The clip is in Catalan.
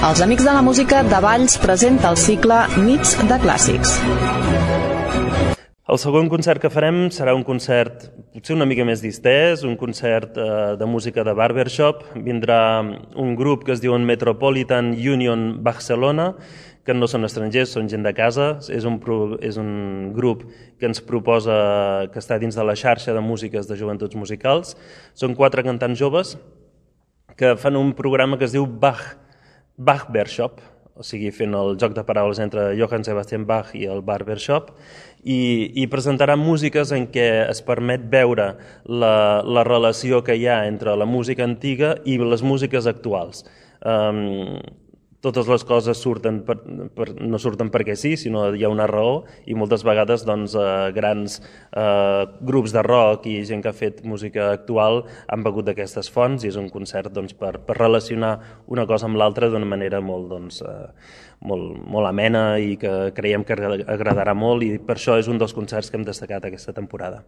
Els Amics de la Música de Valls presenta el cicle Nits de Clàssics. El segon concert que farem serà un concert potser una mica més distès, un concert de música de barbershop. Vindrà un grup que es diu Metropolitan Union Barcelona, que no són estrangers, són gent de casa. És un grup que ens proposa, que està dins de la xarxa de músiques de joventuts musicals. Són 4 cantants joves que fan un programa que es diu Barbershop, o sigui, fent el joc de paraules entre Johann Sebastian Bach i el barbershop, i presentaran músiques en què es permet veure la relació que hi ha entre la música antiga i les músiques actuals. Totes les coses no surten perquè sí, sinó hi ha una raó, i moltes vegades grans grups de rock i gent que ha fet música actual han begut d'aquestes fonts, i és un concert per relacionar una cosa amb l'altra d'una manera molt amena i que creiem que agradarà molt, i per això és un dels concerts que hem destacat aquesta temporada.